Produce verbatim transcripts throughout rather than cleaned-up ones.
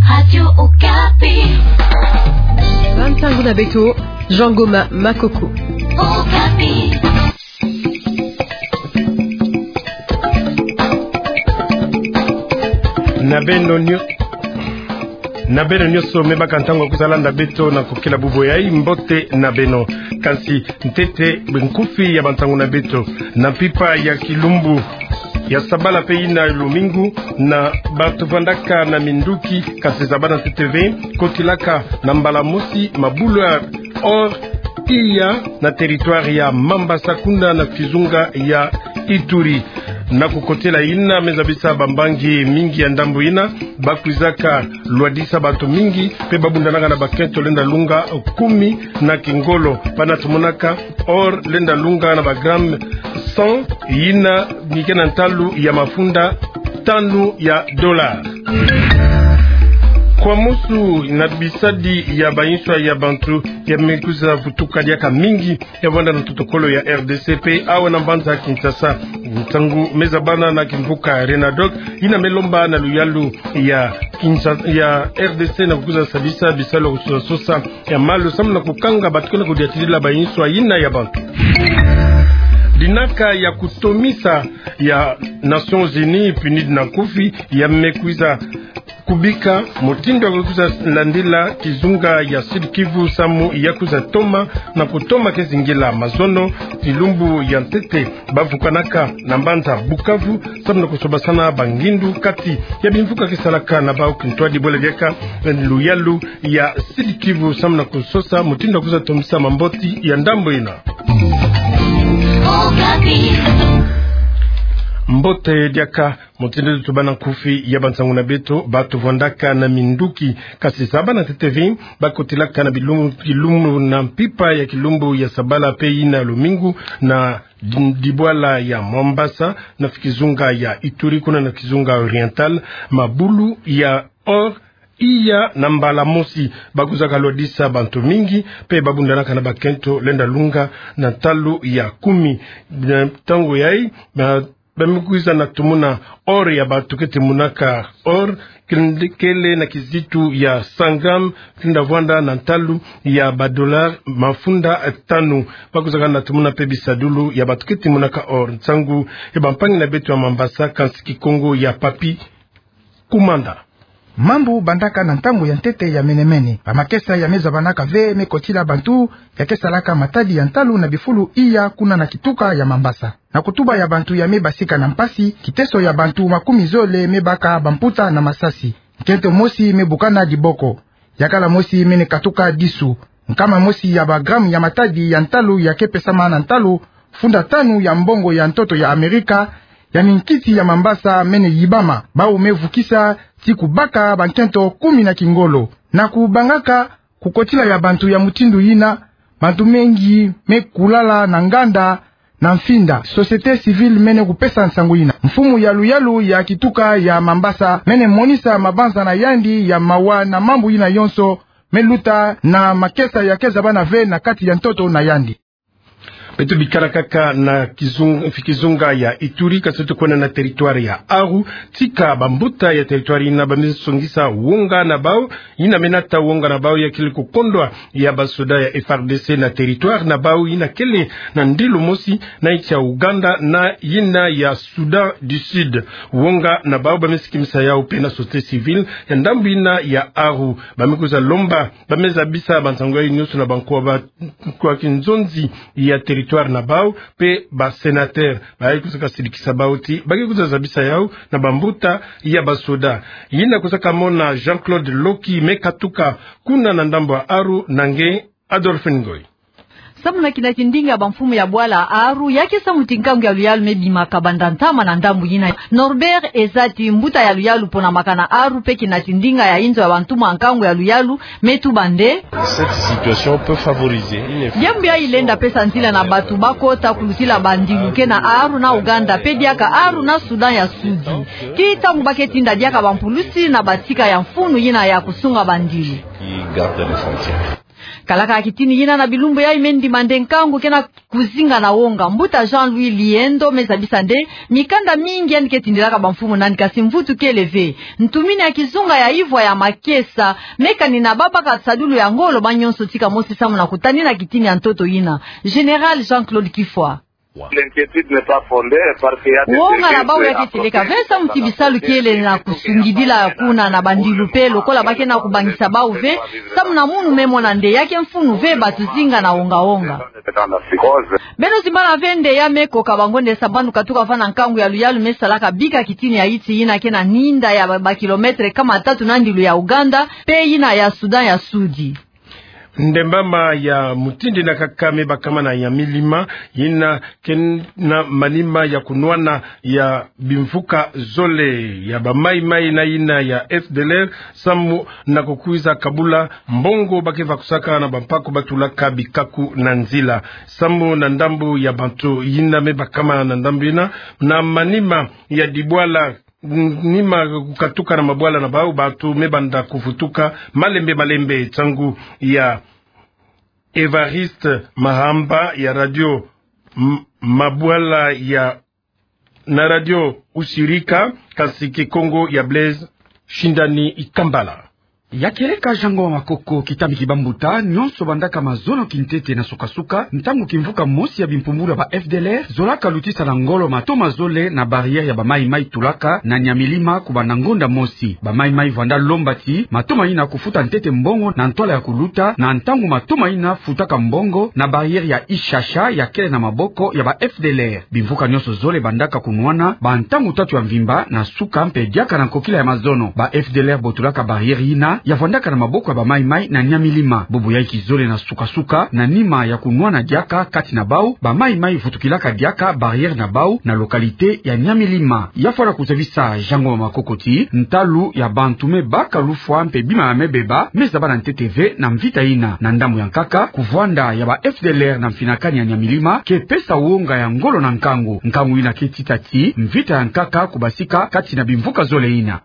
Radio Okapi. Bantangu na beto, Jean Goma Makoko. Okapi. Na beno nyo-, na beno nyonso me baka ntangu ya kwiza landa beto na kokila bubu yayi, mbote na beno. Kasi ntete nkufi ya bantangu na beto. Na mpimpa ya kilumbu ya sabala pe yina lumingu, na bato vandaka na minduki, kasi zabana ntete ve, kotilaka na mbala mosi mabulu ya or iya na territoire ya Mambasa kuna na kizunga ya Ituri. Na kukotela yina me zabisa bambangi mingi ya ndambu yina, bakwizaka lwadisa bato mingi, pe babundanaka na bakento lenda lunga kumi na kingolo. Bana tumonaka or lenda lunga na bagramme cent, yina ni ke na ntalu ya mafunda tanu ya dollar. Kwa musu na bisadi ya bayinswa ya bantu ya me kwiza vutuka diaka mingi ya vanda na ntotokolo ya R D C pe awa na mbanza Kinshasa. Ntangu me zabana na kimvuka Renadoc, yina me lomba na luyalu ya Kinshasa, ya R D C na kukwiza sabisa bisalu ya kusosa-sosa ya malu samu na kukanga bato ke na kudiatidila bayinswa yina ya bantu. Dinaka ya kutomisa ya Nations Unies, PNUD na nkufi, ya me kwiza kubika mutindu ya kwiza landila kizunga ya Sud-Kivu samu ya kwiza toma na kutoma ke zingila mazono. Kilumbu ya ntete bavukanaka na mbanza Bukavu samu na kusobasana bangindu kati ya bimvuka ke salaka na bau kintwadi bole diaka luyalu ya Sud-Kivu samu na kusosa mutindu ya kwiza tomisa mamboti ya ndambu yina. Mbote diaka. Mutindu tubana nkufi ya bantangu na beto, bato vandaka na minduki, kasi zabana ntete ve, bakotilaka na bilumu, bilumu na mpimpa ya kilumbu ya sabala pe yina lumingu na di-, dibwala ya Mambasa na kizunga ya Ituri kuna na kizunga Oriental, mabulu ya or iya na mbala mosi. Bakwizaka lwadisa bantu mingi, pe babundanaka na bakento lenda lunga na ntalu ya kumi. Na ntangu yayi, ba, ba me kwiza na tumuna or ya bato ke timunaka or, kende-, kele na kizitu ya cent grammes, kenda vwanda na ntalu ya badollar mafunda tanu. Bakwizaka na tumuna pe bisadulu ya bato ke timunaka or. Nsangu ya bampangi na beto ya Mambasa, kansi Kikongo ya Papy Kumanda. Mambu bandaka na ntangu ya ntete ya mene-mene. Bamakesa ya me zabanaka ve me kotila bantu ya ke salaka matadi ya ntalu na bifulu iya kuna na kituka ya Mambasa. Na kutuba ya bantu ya me basika na mpasi, kiteso ya bantu makumi zole me baka bamputa na masasi. Nkento mosi me bukana diboko. Yakala mosi mene katuka disu. Nkama mosi ya bagramme ya matadi ya ntalu ya ke pesama na ntalu funda tanu ya mbongo ya ntoto ya Amerika, ya minkisi ya Mambasa mene yibama. Bau me vukisa ti kubaka bankento kumi na kingolo. Na kubangaka kukotila ya bantu ya mutindu yina, bantu mengi me kulala na nganda na mfinda. Société civile mene kupesa nsangu yina. Mfumu ya luyalu ya kituka ya Mambasa mene monisa mabanza na yandi ya mawa na mambu yina yonso me luta na makesa ya ke zabana ve na kati ya ntoto na yandi. Beto bikala kaka na kizung-, kizunga ya Ituri, kasi tukwenda na territoire ya Aru. Tika bambuta ya territoire yina ba me songisa wonga na bau, yina me nata wonga na bau ya kele kukondwa ya basoda ya F A R D C na territoire na bau, yina kele na ndilu mosi na insi ya Ouganda na yina ya Soudan du Sud. Wonga na bau ba me sikimisa yau pe na société civile ya ndambu yina ya Aru. Ba me kwiza lomba, ba me zabisa bansangu yayi nyonso na bankwa ba, nkwa kinzonzi ya territoire na bau, pe ba sénateur. Ba ye kwiza kasidikisa bau ti ba ke kwiza zabisa yau na bambuta ya basoda. Yina kwiza kamona Jean-Claude Loki me katuka kuna na ndambu ya Aru na nge Adolphe Ngoy. Samu na kinati ndinga ya bamfumu ya bwala Aru, ya ke samu ti nkangu ya luyalu me bimaka banda ntama na ndambu yina. Norbert Ezati, mbuta ya luyalu pona makana Aru pe kinati ndinga ya inzo ya bantu mwa nkangu ya luyalu, me tuba nde: Cette situation peut favoriser une... Diambu yayi lenda pesa nzila na bato ba kota kulutila bandilu ke na Aru na Ouganda, pe diaka Aru na Soudan ya Sudi. Ti ntangu ba ke tinda diaka bampulusi na batika ya mfunu yina ya kusunga bandilu. Qui garde les frontières. Kalaka kitini yina na bilumbu yayi me ndima nde nkangu ke na kuzinga na wonga. Mbuta Jean-Louis Liendo me zabisa nde mikanda mingi yandi ke tindilaka bamfumu na yandi, kasi mvutu kele ve. Ntumini ya kizunga ya ivwa ya makesa me kanina babaka sadulu ya ngolo ba nyonso tika mosi samu na kutanina kitini ya ntoto yina. Général Jean-Claude Kifwa. Wonga na bau ya ke seleka ve samu ti bisalu kiele na kusungidila kuna na bandilu pe lokola ba ke na kubangisa bau ve, samu na munu me mona nde ya ke mfunu ve batu zinga na wonga-wonga. Beno zimbana ve nde ya me koka bango nde sambanu katuka vana nkangu ya luyalu me salaka bika kitini ya iti yina ke na ninda ya ba, ba kilometre kama tatu na ndilu ya Ouganda pe yina ya Sudan ya Sudi. Ndembama ya mutindi na kaka me bakama na Nyamilima, yina ke na manima ya kunwana ya bimvuka zole ya ba Mai-Mai na yina ya F D L R, samu na kukwiza kabula mbongo ba ke vakusaka na bampaku ba tulaka bikaku na nzila. Samu na ndambu ya bantu yina me bakama na ndambu yina, na manima ya dibwala, n-, nima kukatuka na mabwala na bau, bantu me banda kuvutuka malembe-malembe. Ntangu ya Évariste Mahamba ya radio, m-, mabwala ya, na radio Usirika, kasi Kikongo ya Blaise Shindani Ikambala. Ya kieleka Jean Ngoma Makoko, kitami ki bambuta, nyonso bandaka mazono kintete na suka-suka, ntangu kimvuka mosi ya bimpumbulu ya ba F D L R zolaka lutisa na ngolo matoma zole na barrière ya ba Mai-Mai tulaka na Nyamilima kubanda ngonda mosi. Ba Mai-Mai vanda lomba ti matoma yina kufuta ntete mbongo na ntwala ya kuluta, na ntangu matoma yina futaka mbongo na barrière ya Ishasha ya kele na maboko ya ba F D L R. Bimvuka nyonso zole bandaka kunwana ba ntangu tatu ya mvimba na suka mpe diaka na nkokila ya mazono. Ba F D L R botulaka barrière yina ya vwandaka na maboko ya ba Mai-Mai na Nyamilima. Bubu yayi kizole na suka-suka, na nima ya kunwana diaka kati na bau, ba Mai-Mai vutukilaka diaka barrière na bau na localité ya Nyamilima. Ya fwana kuzabisa Jean Ngoma Makoko ti ntalu ya bantu me baka lufwa mpe bima ya me beba me zabana ntete ve na mvita yina. Na ndambu ya nkaka, kuvwanda ya ba F D L R na mfinakani ya Nyamilima ke pesa wonga ya ngolo na nkangu. Nkangu yina ke tita ti mvita ya nkaka kubasika kati na bimvuka zole yina.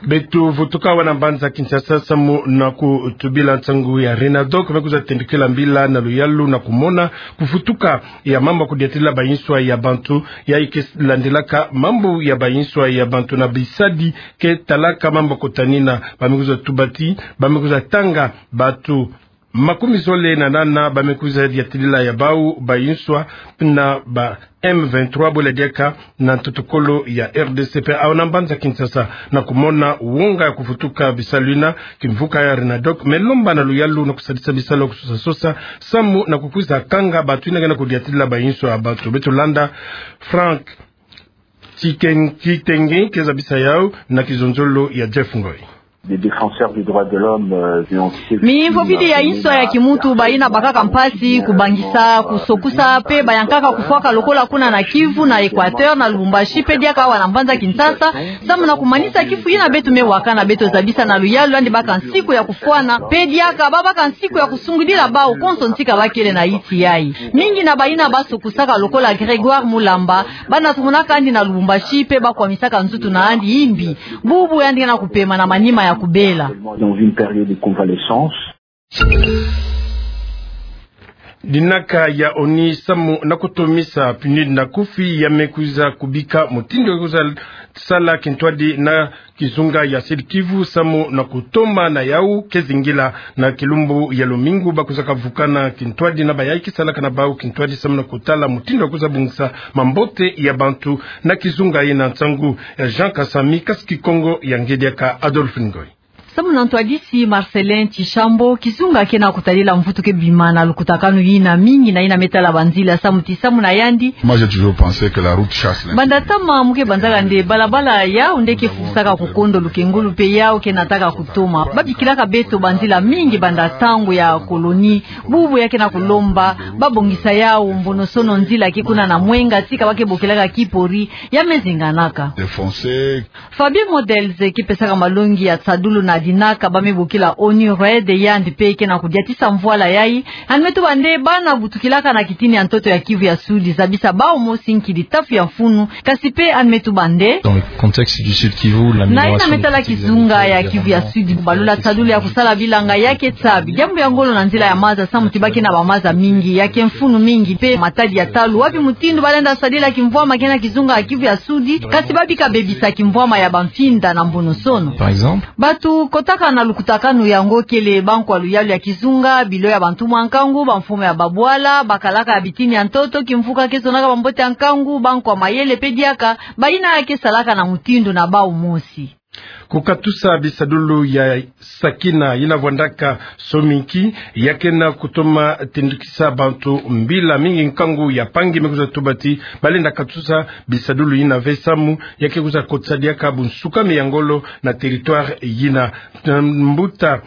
Beto vutuka awa na mbanza Kinshasa samu na kutubila nsangu ya Renadoc, me kwiza tembikila mbila na luyalu na kumona kuvutuka ya mambu ya kudiatila bayinswa ya bantu, yayi ke landilaka mambu ya bayinswa ya bantu na bisadi ke talaka mambu ya kutanina. Ba me kwiza tuba ti ba me kwiza tanga bantu makumi zole na nana ba me kwiza diatilila ya bau bayinswa na ba M vingt-trois bole diaka na ntoto-kolo ya R D C pe awa na mbanza Kinshasa, na kumona wonga ya kuvutuka bisalu yina, kimvuka ya Renadoc me lomba na luyalu na kusadisa bisalu ya kusosa-sosa samu na kukwiza kanga bantu yina ke na kudiatilila bayinswa ya bantu. Beto landa Franck Titen-, Kitenge ke zabisa yau na kizonzolo ya Jeff Ngoy. Des défenseurs des droits de l'homme, euh, de l'entité. Mifofidi ya yinswa ya kimuntu bayina bakaka mpasi kubangisa, kusokusa, pe bayankaka kufwaka lokola kuna na Kivu, na Équateur, na Lubumbashi, pe diaka awa na mbanza Kinshasa, samu na kumanisa kifu yina beto me wakana. Beto zabisa na luyalu yandi baka nsiku ya kufwana, pe diaka ba baka nsiku ya kusungidila bau konso ntika bakele na yinti yayi. Mingi na bayina basokusaka lokola Grégoire Mulamba, bana tumonaka yandi na Lubumbashi pe bakwamisaka nzutu na yandi imbi. Bubu yandi ke na kupema na manima ya kubela. Dans une période de convalescence. Dinaka ya ONU samu na kutomisa PNUD na kufi ya me kwiza kubika mutindu ya kwiza sala kintwadi na kizunga ya Sud-Kivu samu na kutoma na yau ke zingila. Na kilumbu ya lumingu ba kwizaka vukana kintwadi na bayayi ke salaka na bau kintwadi samu na kutala mutindu ya kwiza bongisa mambote ya bantu na kizunga yina. Nsangu ya Jean Kasami, kasi Kikongo ya nge diaka Adolphe Ngoy. Samu na ntwadisi Marcellin Tshishambo, kizunga ke na kutadila mvutu ke bima na lukutakanu yina mingi na yina me tala banzila, samu ti samu na yandi. Moi, j'ai toujours pensé que la route chasse l'insécurité. Banda tama mu ke banzaka nde balabala yau nde ke fusaka kukondo lukengulu pe yau ke nataka kutoma. Ba bikilaka beto banzila mingi banda ntangu ya colonie. Bubu ya ke na kulomba ba bongisa yau mbonosono nzila ke kuna na Mwenga tika ba ke bokelaka Kipori ya me zinganaka. Défoncer. Fabien Models ke pesaka malongi ya tsadulu na Dinaka ba me bokila ONU-RED, yandi mpe ke na kudiatisa mvwala yayi. Yandi me tuba nde bana butukilaka na kitini ya ntoto ya Kivu ya Sud zabisa bawu mosi nkidi tafu ya mfunu, kasi mpe yandi me tuba nde Dans le contexte du Sud Kivu, l'amélioration Na yina me tala kizunga ya Kivu ya Sud, balula tadulu ya kusala bilanga ya ke tsabi. Diambu ya ngolo na nzila ya maza, samu ti ba ke na bamaza mingi, ya ke mfunu mingi, mpe matadi ya talu wapi mutindu balenda sadila kimvwama kena kizunga ya Kivu ya Sud, kasi babika bebisa kimvwama ya bamfinda na mbonosono. Par exemple, bantu kotaka na lukutakanu yango kele bankwa luyalu ya kizunga, bilo ya bantu mwa nkangu, bamfumu ya babwala, bakalaka ya bitini ya ntoto, kimvuka ke zonaka bambote ya nkangu, bankwa mayele mpe diaka, bayina ya ke salaka na mutindu na bawu mosi. Kukatusa bisadulu ya Sakina yina vwandaka Sominki, ya ke na kutoma tindukisa bantu mbila mingi nkangu ya mpangi me kwiza tuba ti balenda katusa bisadulu yina ve samu ya ke kwiza kotisa diaka bunsukami ya ngolo na territoire yina. Mbuta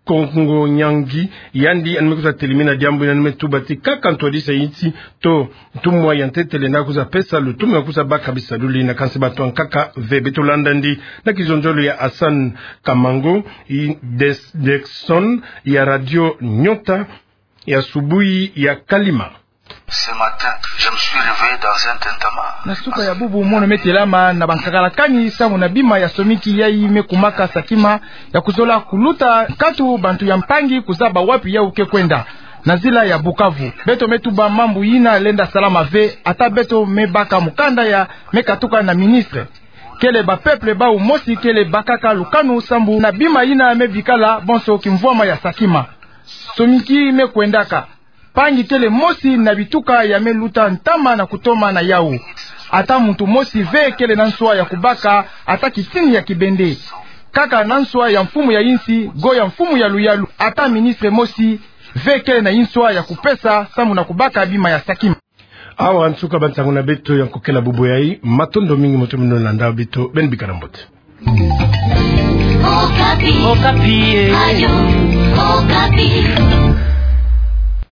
Kongo Nyangi, yandi yandi me kwiza telimina diambu yina, yandi me tuba ti kaka ntwadisa ya insi to ntumwa ya ntete lenda kwiza pesa lutumu ya kwiza baka bisadulu yina, kansi bantu ya nkaka ve. Beto landa yandi na kizonzolo ya Hassan Kamango, i Des-, Dexon ya Radio Nyota ya asubuhi ya Kalima. Ce matin, je me suis réveillé dans un tintamarre. Na suka ya bubu mono me telama na bankakalakani samu na bima ya Sominki yayi me kumaka Sakima, ya kuzola kuluta nkatu bantu ya mpangi kuzaba wapi yawu ke kwenda. Na nzila ya Bukavu, beto me tuba mambu yina lenda salama ve, ata beto me baka mukanda ya me katuka na ministre. Kele ba peuple bawu mosi kele bakaka lukanu sambu na bima yina me bikala bonso kimvwama ya Sakima. Sominki me kwendaka. Mpangi kele mosi na bituka ya me luta ntama na kutoma na yawu. Ata muntu mosi ve kele na nswa ya kubaka ata kitini ya kibende. Kaka na nswa ya mfumu ya insi, go ya mfumu ya luyalu, ata ministre mosi ve kele na inswa ya kupesa samu na kubaka bima ya Sakima. Awa nsuka bansangu na beto ya nkokela bubu yayi, matondo mingi mbote mino landa beto, beno bikala mbote. Okapi. Okapi, eh. Radio Okapi.